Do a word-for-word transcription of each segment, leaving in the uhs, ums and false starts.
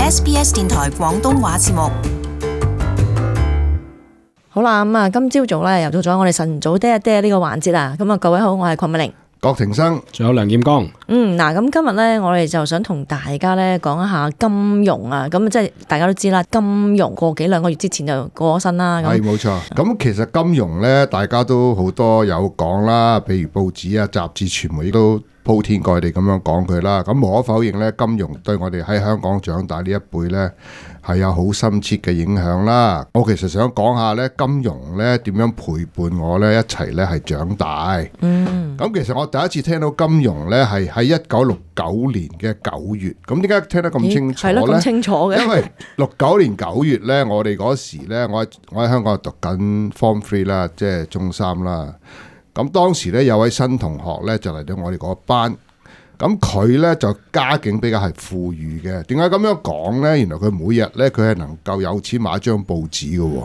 S B S 電台廣東話節目。好啦，咁啊，今朝早咧又到咗我哋晨早爹一爹呢個環節啦。咁啊，各位好，我係鄺美玲、郭庭生，仲有梁劍剛。嗯，嗱，咁今日咧，我哋就想同大家咧講一下金融啊。咁即係大家都知啦，金融過幾兩個月之前就過咗身啦。係冇錯。咁其實金融咧，大家都好多有講啦，譬如報紙啊、雜誌、傳媒都鋪天蓋地咁樣講佢啦。咁無可否認咧，金融對我哋喺香港長大呢一輩咧係有好深切嘅影響啦。我其實想講下咧，金融咧點樣陪伴我咧一齊咧係長大。嗯。咁其實我第一次聽到金融咧係喺一九六九年嘅九月。咁點解聽得咁清楚咧？係咯，咁清楚嘅。因為六九年九月咧，我哋嗰時咧，我喺我喺香港讀緊 Form Three 啦，即係中三啦。咁當時咧有位新同學咧就嚟到我哋嗰班。咁佢咧就家境比較係富裕嘅。點解咁樣講咧？原來佢每日咧佢係能夠有錢買一張報紙嘅喎。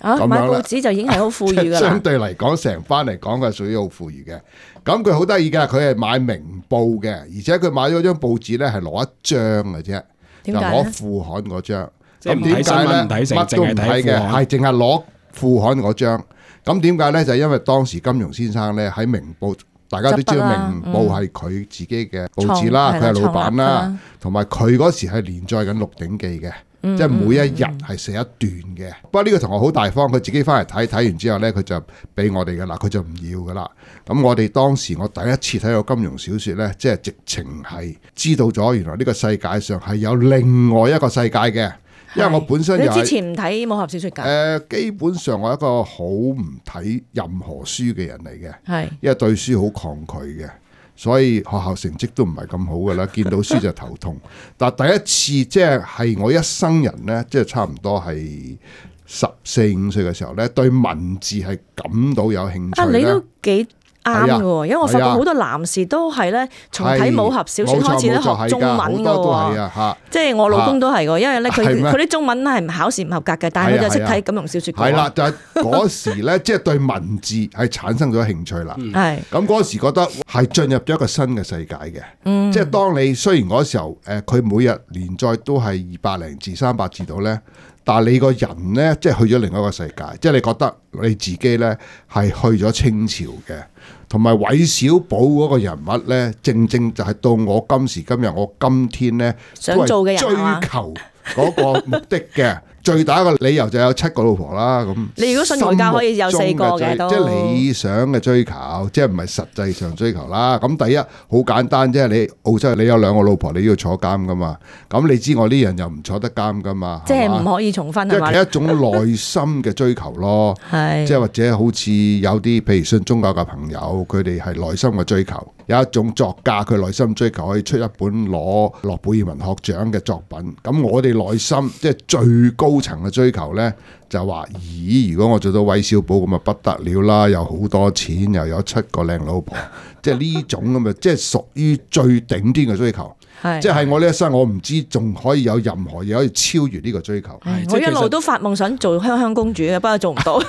啊，買報紙就已經係好富裕㗎啦。相對嚟講，成班嚟講佢係屬於好富裕嘅。咁佢好得意嘅，佢係買明報嘅，而且佢買咗張報紙咧係攞一張嘅啫，就攞副刊嗰張。咁點解咧？乜都唔睇嘅，係淨係攞副刊嗰張。咁點解咧？就係因為當時金庸先生咧喺明報。大家都知道明報係佢自己嘅報紙啦，佢係、嗯、老闆啦，同埋佢嗰時係連載緊《鹿鼎記》嘅，嗯、即係每一日係寫一段嘅。嗯、不過呢個同學好大方，佢自己翻嚟睇，睇完之後呢，佢就俾我哋噶啦，佢就唔要噶啦。咁我哋當時我第一次睇到金庸小說呢，即係直情係知道咗原來呢個世界上係有另外一個世界嘅。因為我本身又係你之前唔睇武俠小說㗎？誒、呃，基本上我係一個好唔睇任何書嘅人嚟嘅，係是，因為對書好抗拒嘅，所以學校成績都唔係咁好㗎啦。見到書就頭痛。但係第一次即係係我一生人咧，即係差唔多係十四五歲嘅時候咧，對文字係感到有興趣。啊，你都幾啱嘅喎，因為我發覺好多男士都係咧，從睇武俠小說開始咧學中文嘅喎，即係我老公都係嘅，因為咧佢佢啲中文係考試唔合格嘅，但係佢就識睇金庸小說。係啦，就係嗰時咧，即係對文字係產生咗興趣啦。係咁嗰時覺得係進入咗一個新嘅世界嘅，即係當你雖然嗰時候誒佢每日連載都係二百零字、三百字度咧。但係你個人咧，即係去咗另一個世界，即係你覺得你自己咧係去咗清朝嘅，同埋韋小寶嗰個人物咧，正正就係到我今時今日，我今天咧想做嘅人追求嗰個目的嘅。最大一個理由就有七個老婆啦，咁你如果信儒家可以有四個嘅都，即係理想嘅追求，即係唔係實際上追求啦。咁第一好簡單，即係你澳洲你有兩個老婆，你要坐監噶嘛。咁你知我呢人又唔坐得監噶嘛，即係唔可以重婚係嘛？即係一種內心嘅追求咯，係即係或者好似有啲譬如信宗教嘅朋友，佢哋係內心嘅追求。有一種作家佢內心追求可以出一本攞諾貝爾文學獎嘅作品。咁我哋內心即係最高層嘅追求呢，就話咦，如果我做到韋小寶咁啊不得了啦，有好多錢，又有七個靚老婆，即係呢種咁啊，即係屬於最頂端嘅追求。即係我呢一生，我唔知仲可以有任何嘢可以超越呢個追求。我一路都發夢想做香香公主嘅，不過做唔到。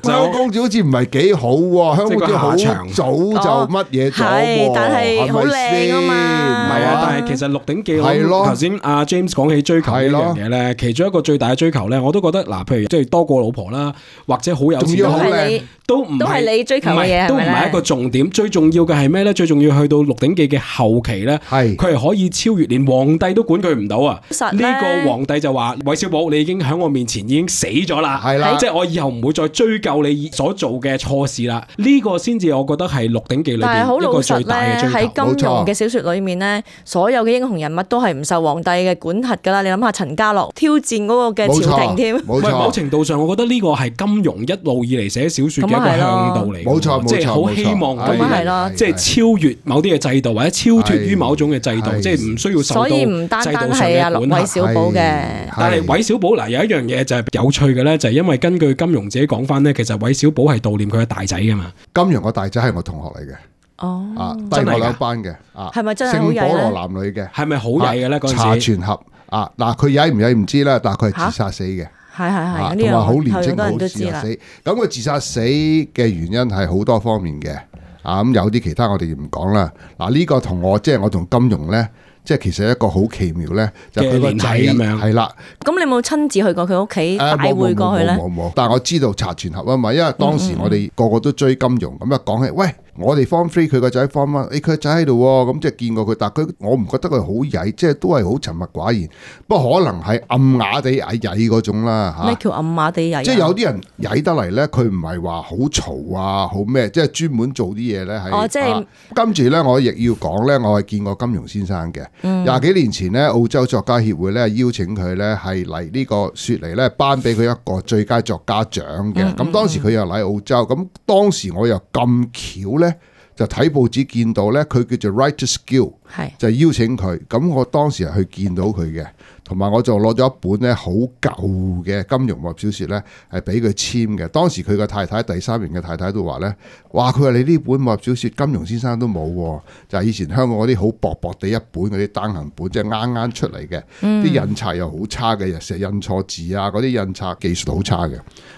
香公主好似唔係幾好喎，香公主好早就乜嘢咗喎，但係好靚啊嘛。唔係啊，但係其實《鹿鼎記》我頭先阿 James 講起追求呢樣嘢咧，其中一個最大嘅追求咧，我都覺得嗱，譬如即係多個老婆啦，或者好有錢都係你，都唔都係你追求嘅嘢，都唔係一個重點。最重要嘅係咩咧？最重要去到《鹿鼎記》嘅後期咧，係佢係可以超越，連皇帝都管佢唔到啊！呢個皇帝就話：韋小寶，你已經喺我面前已經死咗啦，係啦，即係我以後唔會再追究你所做嘅錯事啦。呢個先至我覺得係《鹿鼎記》裏邊一個最大嘅追求。喺金庸嘅小說裏面咧，所有嘅英雄人物都係唔受皇帝嘅管轄噶啦。你諗下陳家洛挑戰嗰個嘅朝廷添，冇錯。某程度上，我覺得呢個係金庸一路以嚟寫小說嘅一個向導嚟，冇錯，即係好希望可以即係超越某啲嘅制度，或者超脫於某種嘅制度，即係唔需要受到。唔單單係阿韋小寶嘅，但係韋小寶嗱有一樣嘢就係有趣嘅咧，就係因為根據金庸自己講翻咧，其實韋小寶係悼念佢嘅大仔噶嘛。金庸個大仔係我同學嚟嘅，哦，啊，低我兩班嘅，啊，係咪真係好曳咧？聖保羅男女嘅，係咪好曳嘅咧？嗰陣時查全俠啊，嗱佢曳唔曳唔知啦，但係佢係自殺死嘅，係係係，同埋好年青好自殺死。咁佢自殺死嘅原因係好多方面嘅，啊咁有啲其他我哋唔講啦。嗱呢個同我即係我同金庸咧。即係其實一個好奇妙咧，就佢個仔咁樣係啦。咁你有冇親自去過佢屋企帶會過去咧？冇冇冇。但係我知道查全盒啊嘛，因為當時我哋個個都追金庸，咁一講起，喂，我哋 form three 佢個仔 form one，誒佢個仔喺度喎，咁即係見過佢，但係佢我唔覺得佢好曳，即係都係好沉默寡言。不過可能係暗啞地曳曳嗰種啦嚇。咩叫暗啞地曳？即係有啲人曳得嚟咧，佢唔係話好嘈啊，好咩？即係專門做啲嘢咧係。哦，即係跟住咧，我亦要講咧，我係見過金庸先生嘅。廿、嗯、幾年前咧，澳洲作家協會咧邀請佢咧係嚟呢個雪梨咧頒俾佢一個最佳作家獎嘅。咁、嗯、當時佢又嚟澳洲，咁當時我又咁巧咧就睇報紙見到咧，佢叫做 Writers Guild，係就邀請佢。咁我當時係去見到佢嘅。同埋我就攞咗一本咧好舊嘅金庸武俠小説咧，係俾佢簽嘅。當時佢個太太第三名嘅太太都話咧，哇！佢話你呢本武俠小説金庸先生都冇喎，就係、是、以前香港嗰啲好薄薄地一本嗰啲單行本，即係啱啱出嚟嘅，啲、嗯、印刷又好差嘅，又成日印錯字啊，嗰啲印刷技術好差嘅。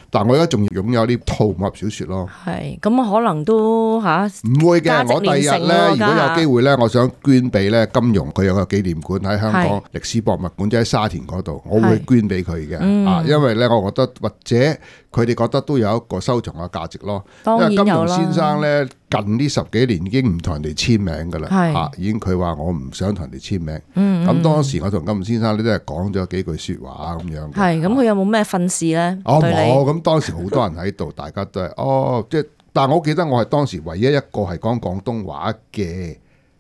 但我而家仲擁有呢套武俠小説咯。係，咁可能都嚇唔會嘅。我第日咧，如果有機會咧，我想捐俾咧金庸，佢有個紀念館喺香港歷史博物館，即喺沙田嗰度，我會捐俾佢嘅。啊，因為咧，我覺得或者佢哋覺得都有一個收藏嘅價值咯。因為金庸先生咧，近呢十幾年已經唔同人哋簽名噶啦，嚇已經佢話我唔想同人哋簽名。咁、嗯、當時我同金庸先生咧都係講咗幾句説話咁樣。係，咁佢有冇咩訓示咧？哦，冇。咁當時好多人喺度，大家都係哦，即係，但係我記得我係當時唯一一個係講廣東話嘅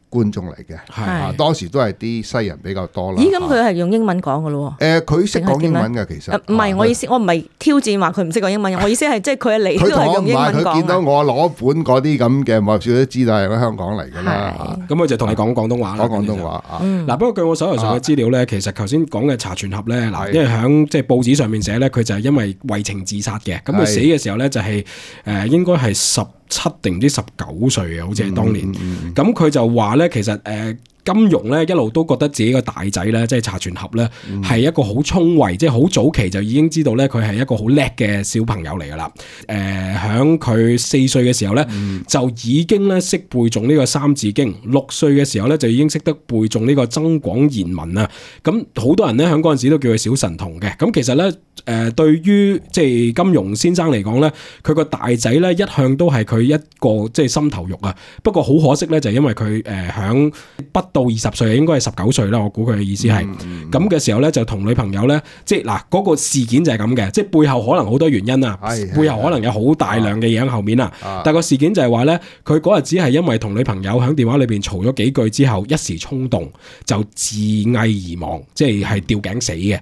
觀眾嚟嘅，係啊，當時都係啲西人比較多啦。咦，咁佢係用英文講嘅咯？誒，佢識講英文嘅其實。唔係，我意思，我唔係挑戰話佢唔識講英文，我意思係即係佢嚟都係用英文講。佢見到我攞本嗰啲咁嘅武俠小說都知道係喺香港嚟㗎啦。咁佢就同你講廣東話啦。講廣東話啊。嗱，不過據我手頭上嘅資料咧，其實頭先講嘅查全俠咧，嗱，因為喺即係報紙上面寫咧，佢就係因為為情自殺嘅。咁佢死嘅時候咧，就係誒應該係十七定唔知十九歲啊，好似係當年。咁佢就話咧，其實誒、呃、金庸咧一路都覺得自己個大仔咧，即係查全俠咧，係、嗯、一個好聰慧，即係好早期就已經知道咧，佢係一個好叻嘅小朋友嚟噶啦。誒、呃，響佢四歲嘅時候咧，嗯、就已經咧識背誦呢個三字經；六歲嘅時候咧，就已經識得背誦呢個增廣賢文啊。咁好多人咧喺嗰陣時都叫佢小神童嘅。咁其實咧，誒、呃、對於即係金庸先生嚟講咧，佢個大仔咧一向都係佢一個即係心頭肉啊。不過好可惜咧，就因為佢誒響不到二十歲，應該係十九歲啦。我估佢嘅意思係咁嘅時候咧，就同女朋友咧，即係嗱嗰個事件就係咁嘅，即係背後可能好多原因啊，背後可能有好大量嘅嘢喺後面啊。但係個事件就係話咧，佢嗰日只係因為同女朋友喺電話裏邊嘈咗幾句之後，一時衝動就自縊而亡，即係係吊頸死嘅。咁、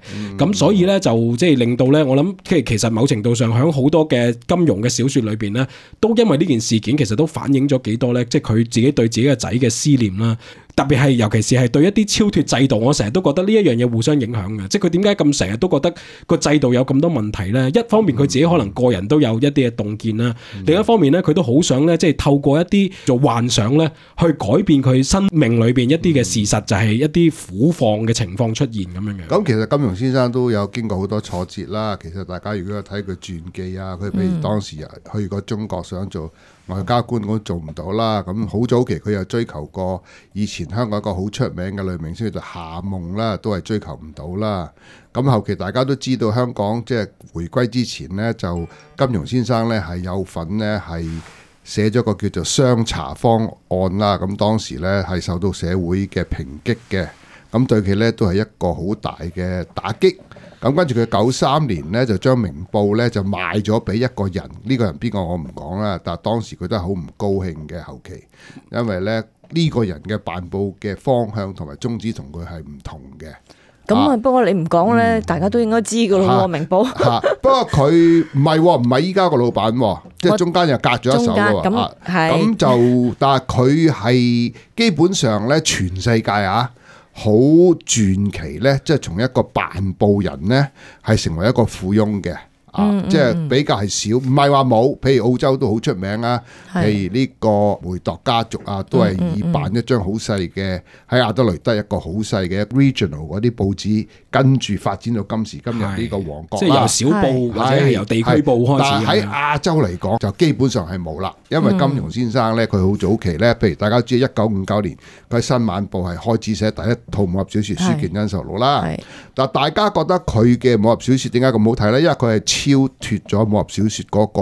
嗯、所以咧就即係令到咧，我諗即係其實某程度上喺好多嘅金庸嘅小說裏邊咧，都因為呢件事件其實都反映咗幾多咧，即係佢自己對自己嘅仔嘅思念啦。特別係尤其是係對一啲超脫制度，我成日都覺得呢一樣嘢互相影響嘅，即係佢點解咁成日都覺得個制度有咁多問題咧？一方面佢自己可能個人都有一啲嘅洞見啦，嗯、另一方面咧佢都好想咧，即係透過一啲做幻想咧，去改變佢生命裏邊一啲嘅事實，嗯、就係一啲苦況嘅情況出現咁樣嘅。咁其實金庸先生都有經過好多挫折啦。其實大家如果有睇佢傳記啊，佢譬如當時去過中國想做外交官，都做唔到啦。咁好早期佢又追求過以前香港一個好出名嘅女明星叫做夏夢啦，都係追求唔到啦。咁後期大家都知道香港即係回歸之前呢，就金庸先生呢係有份呢係寫咗個叫做雙查方案啦。咁當時呢係受到社會嘅抨擊嘅，咁對佢呢都係一個好大嘅打擊。咁跟住佢九三年呢，就將明報呢就賣咗俾一個人，呢、呢個人邊個我唔講啦，但係當時佢都係好唔高興嘅後期，因為呢。呢個人嘅辦報嘅方向同埋宗旨同佢係唔同嘅。咁啊，不過你唔講咧，嗯、大家都應該知噶咯。啊、明報。嚇、啊，不過佢唔係唔係依家個老闆，即係中間又隔咗一手咯。咁係。咁就但係佢係基本上咧，全世界啊，好傳奇咧，即係從一個辦報人咧，係成為一個富翁嘅。啊，即係比較係少，唔係話冇。譬如澳洲都好出名啊，譬如呢個梅鐸家族啊，都係以辦一張好細嘅喺亞德雷德一個好細嘅 regional 嗰啲報紙，跟住發展到今時今日呢個王國啦。即係由小報或者係由地區報開始。但係喺亞洲嚟講就基本上係冇啦，因為金庸先生咧佢好早期咧，譬如大家知一九五九年佢喺新晚報係開始寫第一套武俠小説《書劍恩仇錄》啦。但大家覺得佢嘅武俠小説點解咁好睇咧？因為佢係超脫咗武俠小説嗰個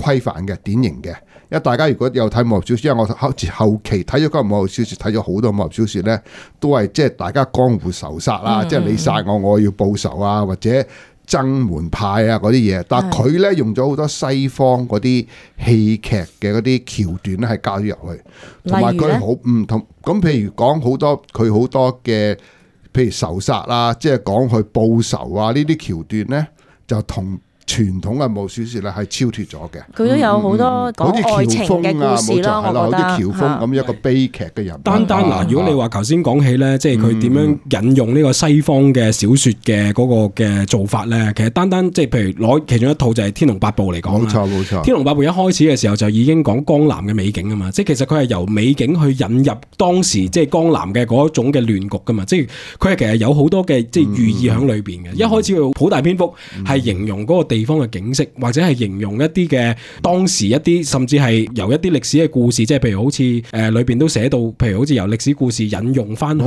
規範嘅典型嘅。因為大家如果有睇武俠小説，因為我後後期睇咗嗰個武俠小説，睇咗好多武俠小説咧，都係即係大家江湖仇殺啊，即係你殺我，我要報仇啊，或者爭門派啊嗰啲嘢。但係佢咧用咗好多西方嗰啲戲劇嘅嗰啲橋段咧，係加咗入去，同埋佢好唔同。咁譬如講好多佢好多嘅。譬如仇殺啊，即係講去報仇啊，呢啲橋段咧就同傳統嘅武俠小説咧係超脫咗嘅。佢都有好多講愛情嘅故事啦，我覺得。好似喬峯咁一個悲劇嘅人。單單嗱，如果你話頭先講起咧，即係佢點樣引用呢個西方嘅小説嘅嗰個嘅做法咧，其實單單即係譬如攞其中一套就係《天龍八部》嚟講。冇錯冇錯。《天龍八部》一開始嘅時候就已經講江南嘅美景啊嘛，即係其實佢係由美景去引入當時即係江南嘅嗰種嘅亂局噶嘛，即係佢係其實有好多嘅即係寓意喺裏邊嘅。一開始佢好大篇幅係形容嗰個地地方嘅景色，或者係形容一啲嘅當時一啲，甚至係由一啲歷史嘅故事，即係譬如好似誒裏邊都寫到，譬如好似由歷史故事引用翻去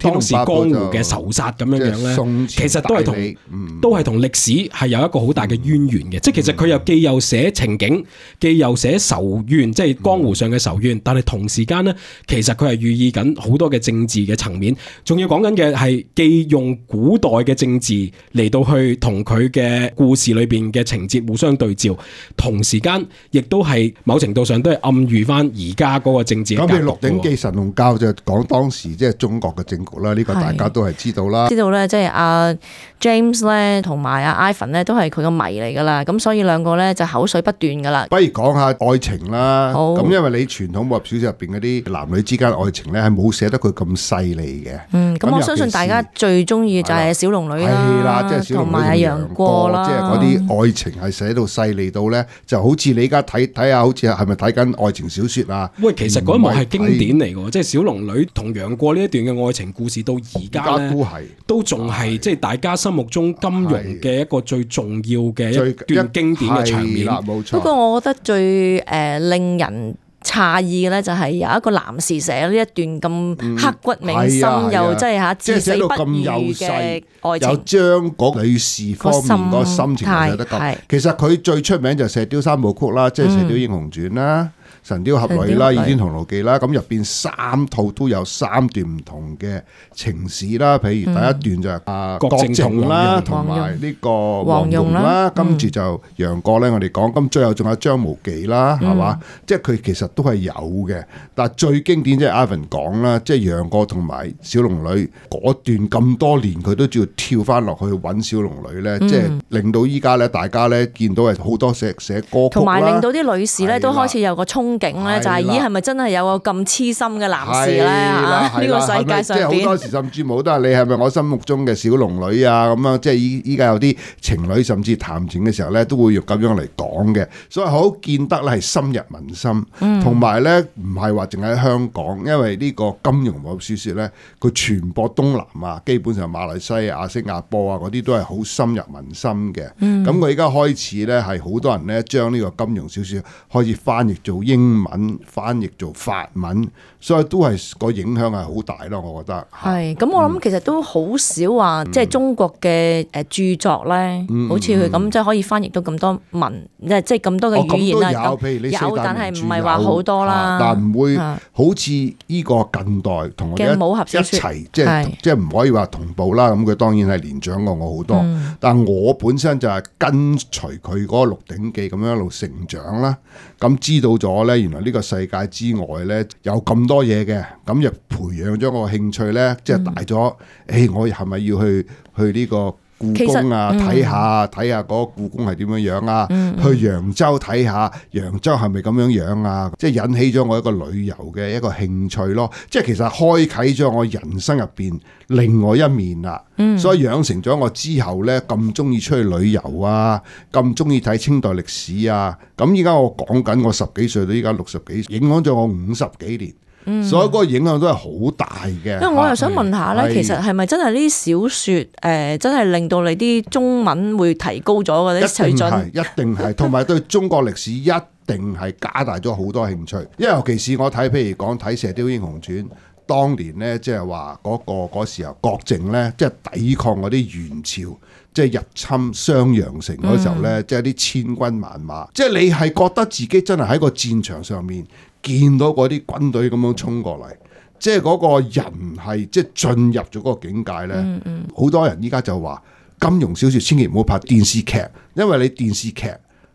當時江湖嘅仇殺咁樣樣咧，其實都係同、嗯、都係同歷史係有一個好大嘅淵源嘅。嗯、即係其實佢又既又寫情景，既又寫仇怨，即係江湖上嘅仇怨，嗯、但係同時間咧，其實佢係寓意緊好多嘅政治嘅層面，仲要講緊嘅係既用古代嘅政治嚟到去同佢嘅故事裏邊嘅情節互相對照，同時間亦都係某程度上都係暗喻翻而家嗰個政治。咁你《鹿鼎記》神龍教就講當時即係中國嘅政局啦，呢、這個大家都係知道啦。知道咧，即係阿 James 咧同埋阿 Ivan 咧都係佢個迷嚟噶啦，咁所以兩個咧就口水不斷噶啦。不如講下愛情啦。咁因為你傳統武俠小說入邊嗰啲男女之間愛情咧係冇寫得佢咁細膩嘅。嗯，咁我相信大家最中意就係小龍女啦，即係小龍女同埋楊過啦，即係嗰啲愛情係寫到細膩到咧，就好似你而家睇睇下，好似係咪睇緊愛情小說啊？喂，其實嗰一幕係經典嚟嘅，即係小龍女同楊過呢一段嘅愛情故事，到而家咧都係都仲係即係大家心目中金庸嘅一個最重要嘅一段經典嘅場面。冇錯。不過我覺得最誒令人詫異嘅咧，就係有一個男士寫呢一段咁刻骨銘心，嗯、又即係吓至死不渝嘅愛情，有將嗰女士方面個心情寫得咁。其實佢最出名就係《射雕三部曲》啦，即係《射雕英雄傳》啦。神雕俠侶啦，倚天屠龍記啦，咁入邊三套都有三段唔同嘅情史啦。譬如第一段就係阿郭靖啦，同埋呢個黃蓉啦，跟住就楊過咧，我哋講，咁最後仲有張無忌啦，係嘛？即係佢其實都係有嘅，但係最經典即係 Ivan 講啦，即係楊過同埋小龍女嗰段咁多年，佢都照跳翻落去揾小龍女咧，即係令到依家咧，大家咧見到係好多寫寫歌曲，同埋令到啲女士咧都開始有個衝景咧，就係咦係咪真係有個咁痴心嘅男士咧？呢個世界上邊，即係好多時甚至冇都係你係咪我心目中嘅小龍女啊？咁樣即係依依家有啲情侶甚至談情嘅時候咧，都會用咁樣嚟講嘅，所以好見得咧係深入民心，同埋咧唔係話淨喺香港，因為呢個金庸武俠小說咧，佢傳播東南亞，基本上馬來西亞、新加坡啊嗰啲都係好深入民心嘅。咁佢而家開始咧係好多人咧將呢個金庸小說開始翻譯做英文，翻譯做法文，所以都係個影響係好大咯，我覺得。係，咁我諗其實都好少話，即係中國嘅誒著作咧，好似佢咁即係可以翻譯到咁多文，即係即係咁多嘅語言啦。有，譬如你有，但係唔係話好多啦。但唔會好似呢個近代同我哋一齊，即係即係唔可以話同步啦。咁佢當然係年長過我好多，但我本身就係跟隨佢嗰個《鹿鼎記》咁樣一路成長啦。咁知道咗咧，原來呢個世界之外咧有咁多嘢嘅，咁就培養咗我興趣咧，即係大咗。誒，我係咪要去去呢個故宮啊，睇下睇下嗰個故宮係點樣樣啊，嗯、去揚州睇下揚州係咪咁樣樣啊，即係引起咗我一個旅遊嘅一個興趣咯。即係其實開啟咗我人生入邊另外一面啦，嗯、所以養成咗我之後呢，咁中意出去旅遊啊，咁中意睇清代歷史啊。咁依家我講緊我十幾歲到依家六十幾歲，影響咗我五十幾年。嗯、所以嗰個影響都係好大嘅。因為我又想問下咧，其實係咪真係呢啲小説誒、呃，真係令到你啲中文會提高咗嗰啲水準？一定係，一定係，同埋對中國歷史一定係加大咗好多興趣。因為尤其是我睇，譬如講睇《射雕英雄傳》，當年咧即係話嗰個嗰時候郭靖咧，即係抵抗嗰啲元朝。即係入侵襄陽城嗰時候咧，嗯、即係啲千軍萬馬，即係你係覺得自己真係喺個戰場上面見到嗰啲軍隊咁樣衝過嚟，即係嗰個人係即係進入咗嗰個境界咧。好、嗯嗯、多人依家就話金庸小説千祈唔好拍電視劇，因為你電視劇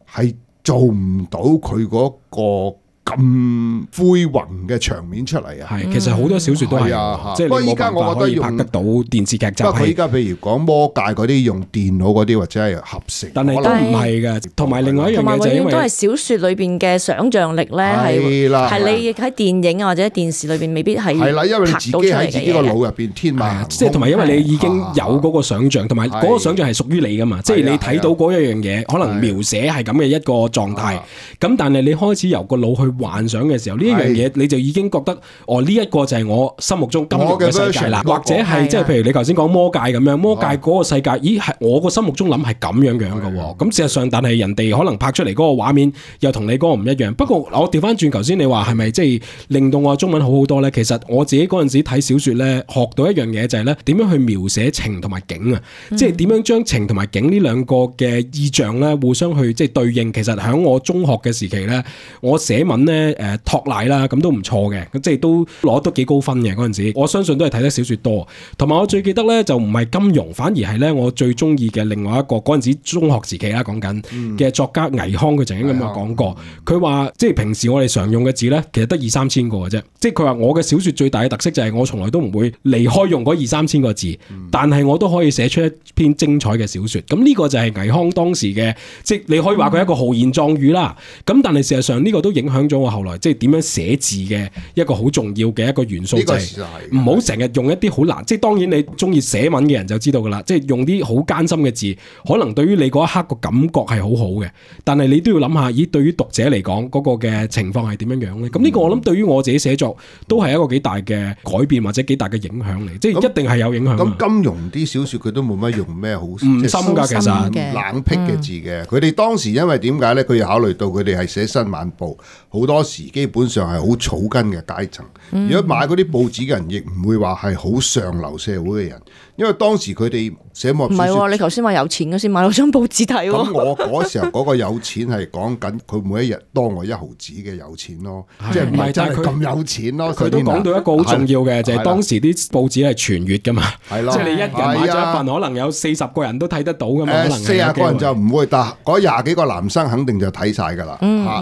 係做唔到佢嗰個咁恢宏嘅場面出嚟啊！係，其實好多小説都係啊，即係你冇辦法可以拍得到電視劇集。不過佢依家譬如講魔界嗰啲用電腦嗰啲或者係合成，但係都唔係嘅。同埋另外一樣嘢就係因為都係小説裏邊嘅想像力咧，係係你喺電影或者電視裏邊未必係係啦，因為你自己喺自己個腦入邊天馬行空，即係同埋因為你已經有嗰個想像，同埋嗰個想像係屬於你噶嘛，即係你睇到嗰一樣嘢，可能描寫係咁嘅一個狀態。咁但係你開始由個腦去幻想嘅時候，呢一樣嘢你就已經覺得哦，呢一個就係我心目中金庸嘅世界啦，或者係即係譬如你頭先講魔界咁樣，魔界嗰個世界，咦係我個心目中諗係咁樣樣嘅喎。咁事實上，但係人哋可能拍出嚟嗰個畫面又同你嗰個唔一樣。不過我調翻轉頭先，你話係咪即係令到我中文好好多咧？其實我自己嗰陣時睇小説咧，學到一樣嘢就係咧，點樣去描寫情同埋景啊，嗯、即係點樣將情同埋景呢兩個嘅意象咧互相去即係對應。其實喺我中學嘅時期咧，我寫文咧。誒托賴啦，咁都唔錯嘅，咁即係都攞得幾高分嘅嗰陣時。我相信都係睇得小説多，同埋我最記得咧就唔係金庸，反而係咧我最中意嘅另外一個嗰陣時中學時期啦講緊嘅作家倪匡，佢曾經咁樣講過，佢話即係平時我哋常用嘅字咧，其實得二三千個嘅啫。即係佢話我嘅小説最大嘅特色就係我從來都唔會離開用嗰二三千個字，但係我都可以寫出一篇精彩嘅小説。咁呢個就係倪匡當時嘅，即係你可以話佢係一個豪言壯語啦。咁但係事實上呢個都影響咗我後來。即係點樣寫字嘅一個好重要嘅一個元素，就係唔好成日用一啲好難。即係當然你中意寫文嘅人就知道噶啦，即係用啲好艱辛嘅字，可能對於你嗰一刻個感覺係好好嘅，但係你都要諗下，咦？對於讀者嚟講嗰個嘅情況係點樣樣咧？咁呢、嗯、個我諗對於我自己寫作都係一個幾大嘅改變或者幾大嘅影響嚟，嗯、即係一定係有影響。咁金庸啲小説佢都冇乜用咩好唔深㗎，其實冷僻嘅字嘅。佢哋、嗯、當時因為點解咧？佢要考慮到佢哋係寫新晚報，好多時基本上係好草根嘅階層。嗯、如果買嗰啲報紙嘅人，亦唔會話係好上流社會嘅人，因為當時佢哋寫武俠小説。唔係喎，你頭先話有錢嗰先買到張報紙睇喎。咁我嗰時候嗰個有錢係講緊佢每一日多我一毫子嘅有錢咯，即係唔係真係咁有錢咯。佢都講到一個好重要嘅，就係當時啲報紙係傳閱㗎嘛，即係你一人買咗一份，可能有四十個人都睇得到㗎嘛。可能四十個人就唔會，但嗰廿幾個男生肯定就睇晒㗎啦。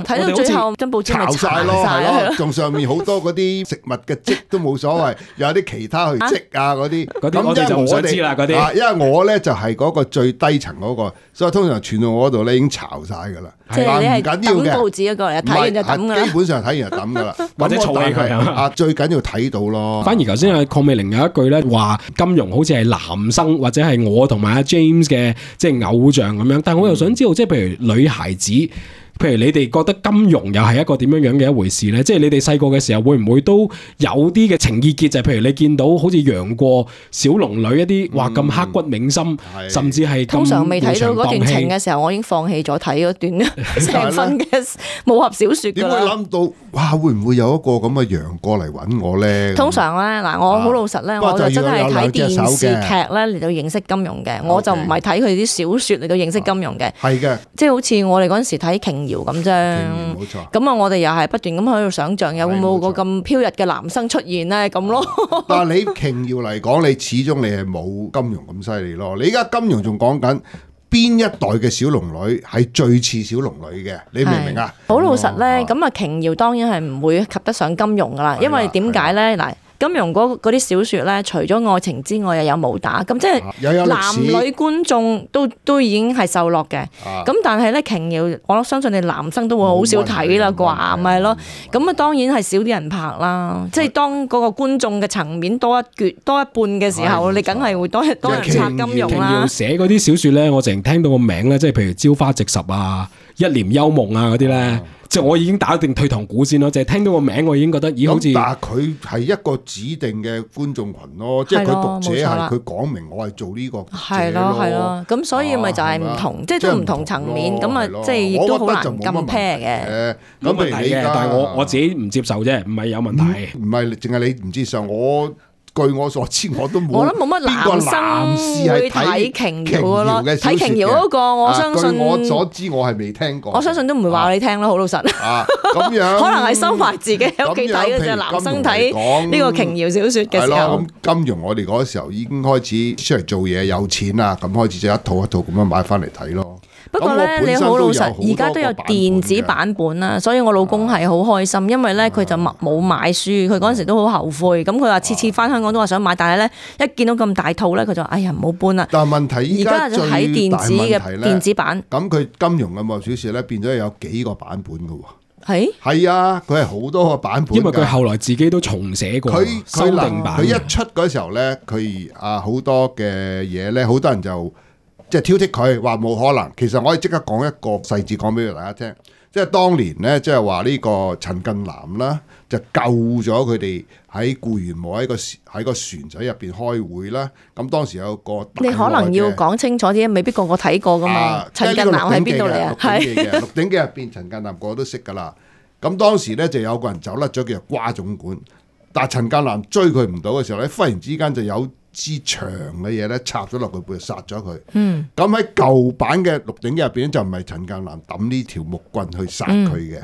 睇到最後張報紙咪炒晒咯，係咯，仲上面好多嗰啲食物嘅漬都冇所謂，有啲其他去漬啊嗰啲。咁我哋就唔想知啦嗰啲。因為我咧就係嗰個最低層嗰個，所以通常傳到我嗰度咧已經炒晒㗎啦。即係你係抌報紙嗰個嚟睇完就抌㗎啦。基本上睇完就抌㗎啦，或者儲起佢啊。最緊要睇到咯。反而頭先阿鄺美玲有一句咧話，金庸好似係男生或者係我同埋阿 James 嘅即係偶像咁樣。但係我又想知道，即係譬如女孩子。譬如你哋覺得金庸又係一個點樣樣嘅一回事咧？即係你哋細個嘅時候會唔會都有啲嘅情意結？就係譬如你見到好似楊過、小龍女一啲話咁刻骨銘心，嗯、甚至係通常未睇到嗰段情嘅時候，我已經放棄咗睇嗰段成份嘅武俠小説㗎啦。點會諗到哇？會唔會有一個咁嘅楊過嚟揾我咧？通常咧嗱，我好老實咧，啊、我就真係睇電視劇咧嚟到認識金庸嘅，我就唔係睇佢啲小説嚟到認識金庸嘅。係嘅、啊，即係好似我哋嗰陣時睇瓊咁啫，冇錯。咁啊，我哋又係不斷咁喺度想像，有冇個咁飄逸嘅男生出現咧？咁咯。但係你瓊瑤嚟講，你始終你係冇金庸咁犀利咯。你而家金庸仲講緊邊一代嘅小龍女係最似小龍女嘅？你明唔明啊？好老實咧，咁啊，瓊瑤當然係唔會及得上金庸噶啦，因為點解咧？嗱。金庸嗰啲小説咧，除咗愛情之外，又有武打，咁即係男女觀眾都都已經係受落嘅。咁但係咧，瓊瑤，我相信你男生都會好少睇啦啩，咪係咯？咁啊，當然係少啲人拍啦。即係當嗰個觀眾嘅層面多一橛多一半嘅時候，你梗係會多多人拆金庸啦。寫嗰啲小説咧，我淨係聽到個名咧，即係譬如《朝花夕拾》啊、《一簾幽夢》啊嗰啲咧。即係我已經打定退堂鼓先咯，就係聽到個名我已經覺得咦好似。但係佢係一個指定嘅觀眾群咯，即係佢讀者係佢講明我係做呢個讀者咯。係咯係咯，咁所以咪就係唔同，即係都唔同層面，咁啊即係亦都好難咁 pair 嘅。冇問題嘅，但係我我自己唔接受啫，唔係有問題。唔係淨係你唔接受我。據我所知，我都冇。我諗冇乜男生會睇瓊瑤嘅咯，睇瓊瑤嗰個，我相信。據我所知，我係未聽過。我相信都唔會話你聽咯，好老實。啊，咁樣可能係收埋自己喺屋企睇嘅啫。男生睇呢個瓊瑤小説嘅時候。係咯，咁金庸我哋嗰時候已經開始出嚟做嘢，有錢啦，咁開始就一套一套咁樣買翻嚟睇咯。不過咧，你好老實，而家都有電子版本啦，所以我老公係好開心，因為咧佢就冇買書，佢嗰陣時都好後悔。咁佢話次次翻香港都話想買，但係咧一見到咁大套咧，佢就哎呀唔好搬啦。但係問題而家就睇電子嘅電子版。咁佢金庸嘅武俠小説咧變咗有幾個版本嘅喎。係係啊，佢係好多個版本。因為佢後來自己都重寫過佢修訂版。佢一出嗰時候咧，佢啊好多嘅嘢咧，好多人就。即係挑剔佢話冇可能，其實我可以即刻講一個細節講俾大家聽。即係當年咧，即係話呢個陳近南啦，就救咗佢哋喺固原墓喺個喺個船仔入邊開會啦。咁當時有個你可能要講清楚啲，未必個個睇過噶嘛。陳、啊、近南喺邊度嚟啊？係《鹿鼎記》入邊，陳近南個個都識噶啦。咁當時咧就有個人走甩咗，叫做瓜總管。但係陳近南追佢唔到嘅時候咧，忽然之間就有支長嘅嘢咧插咗落佢背，殺咗佢。嗯，咁喺舊版嘅《鹿鼎記》入邊就唔係陳近南抌呢條木棍去殺佢嘅。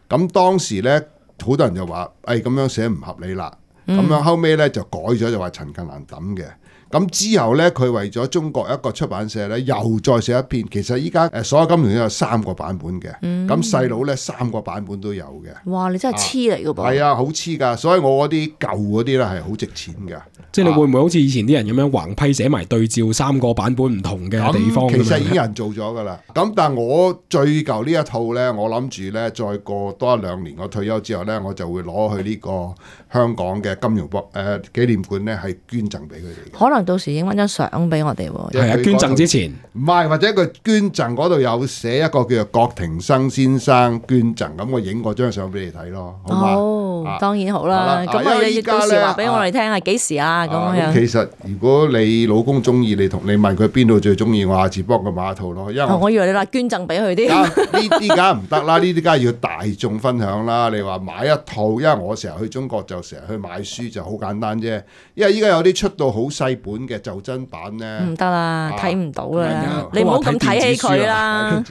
咁、嗯、當時咧，好多人就話：，誒、哎、咁樣寫唔合理啦。咁、嗯、樣後尾咧就改咗，就話陳近南抌嘅。咁之後咧，佢為咗中國一個出版社咧，又再寫一篇。其實依家誒所有金庸都有三個版本嘅。咁細佬咧三個版本都有嘅。哇！你真係黐嚟㗎噃。係啊，好黐㗎。所以我嗰啲舊嗰啲咧係好值錢㗎。即係你會唔會好似以前啲人咁樣橫批寫埋對照三個版本唔同嘅地方？其實已經有人做咗㗎啦。咁但係我最舊呢一套咧，我諗住咧再過多一兩年，我退休之後咧，我就會攞去呢個香港嘅金庸博誒紀念館咧，係捐贈俾佢哋。可能到時影翻張相俾我哋喎。係啊，捐贈之前唔係，或者佢捐贈嗰度有寫一個叫做郭庭生先生捐贈，咁我影嗰張相俾你睇咯，好嘛？哦，啊、當然好啦。咁我哋到時話俾我哋聽係幾時啊？咁、啊、樣。其實如果你老公中意，你同你問佢邊度最中意，我下次幫佢買一套咯。因為我，哦、我以為你話捐贈俾佢啲。呢啲梗係唔得啦，呢啲梗係要大眾分享啦。你話買一套，因為我成日去中國就成日去買書，就好簡單啫。因為依家有啲出到好細本嘅袖珍版咧，唔得啦，睇唔到啦。你唔好咁睇起佢啦。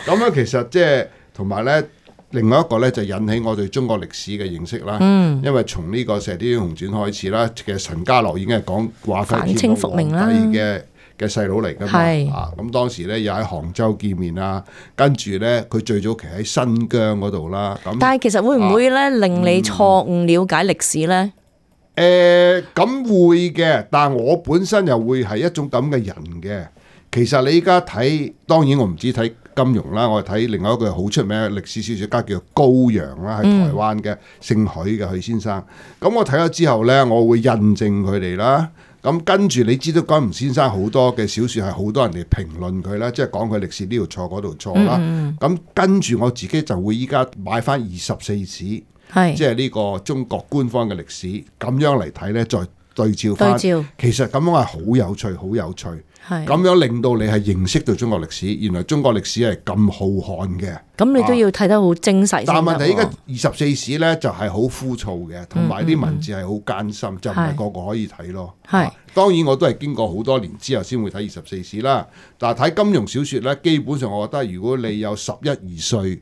咁樣其實即係同埋咧，另外一個咧就引起我對中國歷史嘅認識啦。嗯，因為從呢個《射雕英雄傳》開始啦，其實陳家洛已經係講華妃天皇皇帝嘅嘅細佬嚟㗎嘛。係啊，咁當時咧又喺杭州見面啦，跟住咧佢最早期喺新疆嗰度啦。咁但係其實會唔會咧、啊、令你錯誤了解歷史咧？誒、嗯，咁、呃、會嘅，但係我本身又會係一種咁嘅人嘅。其實你依家睇，當然我唔止睇金庸啦，我睇另外一個好出名嘅歷史小說家叫做高陽啦，喺台灣嘅，姓許嘅許先生。咁我睇咗之後呢，我會印證佢哋啦。咁跟住你知道金庸先生好多嘅小說係好多人嚟評論佢啦，即係講佢歷史呢度錯嗰度錯啦。咁、嗯嗯、跟住我自己就會依家買翻二十四史，即係呢個中國官方嘅歷史，咁樣嚟睇呢，再對照翻。對照其實咁樣係好有趣，好有趣。咁樣令到你係認識到中國歷史，原來中國歷史係咁浩瀚嘅。咁你都要睇得好精細。但係問題依家二十四史呢，就係好枯燥嘅，同埋啲文字係好艱深，嗯嗯、就唔係個個可以睇咯。係、啊、當然我都係經過好多年之後先會睇二十四史啦。但係睇金庸小說呢，基本上我覺得如果你有十一二歲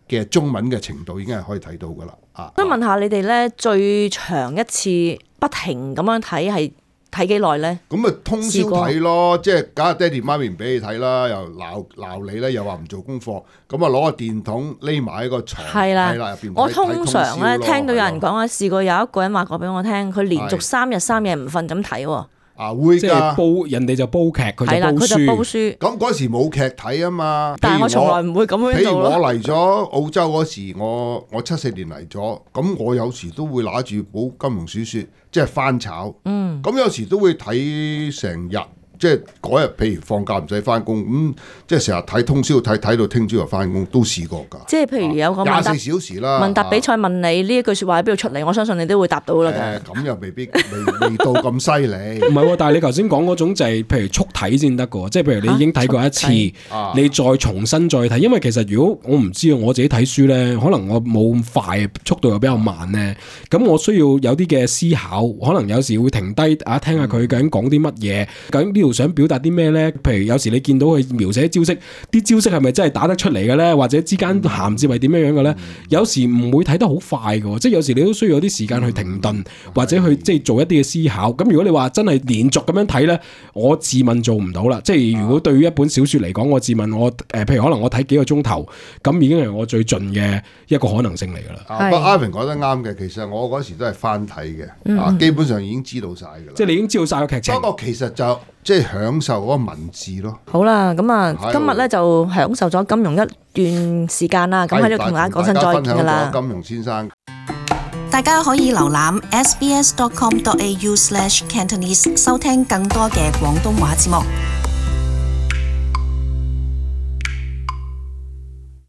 嘅中文嘅程度，已經係可以睇到噶啦。啊，想問下你哋呢，最長一次不停咁樣睇係睇幾耐咧？咁咪通宵睇咯，即係梗係爹哋媽咪唔俾你睇啦，又鬧鬧你咧，又話唔做功課，咁啊攞個電筒匿埋喺個牀，係啦入邊。我通常咧聽到有人講啊，試過有一個人話過俾我聽，佢連續三日三夜唔瞓咁睇喎。啊會即係煲人哋就煲劇，佢就煲書。佢就煲書。咁嗰時冇劇睇啊嘛。但係我從來唔會咁樣做咯。譬如我嚟咗澳洲嗰時，我我七四年嚟咗，咁我有時都會拿住本金庸小説，即係翻炒。嗯。咁有時都會睇成日。即係嗰日，譬如放假唔使翻工，咁即係成日睇通宵睇睇到聽朝又翻工，都試過㗎。即係譬如有個廿四小時啦，問答比賽問你呢一句説話喺邊度出嚟，我相信你都會答到啦。誒，咁又未必未未到咁犀利。唔係喎，但係你頭先講嗰種就係譬如速睇先得㗎，即係譬如你已經睇過一次，你再重新再睇，因為其實如果我唔知啊，我自己睇書咧，可能我冇咁快，速度又比較慢咧，咁我需要有啲嘅思考，可能有時會停低啊，聽下佢究竟講啲乜嘢，究竟呢度想表達啲咩咧？譬如有時你見到佢描寫招式，啲招式係咪真係打得出嚟嘅咧？或者之間銜接係點樣樣嘅咧？有時唔會睇得好快嘅，即係有時你都需要有啲時間去停頓，或者去即係做一啲嘅思考。咁如果你話真係連續咁樣睇咧，我自問做唔到啦。即係如果對於一本小說嚟講，我自問我誒、呃，譬如可能我睇幾個鐘頭，咁已經係我最盡嘅一個可能性嚟噶啦。不過 Ivan 講得啱嘅，其實我嗰時都係翻睇嘅，啊、嗯，基本上已經知道晒噶啦。即係你已經知道晒個劇情。不過其實就即係享受嗰個文字咯。好啦，咁啊，今日咧就享受咗金庸一段時間啦。咁喺度同大家講聲再見噶啦。金庸先生，大家可以瀏覽 s b s dot com dot a u slash cantonese 收聽更多嘅廣東話節目。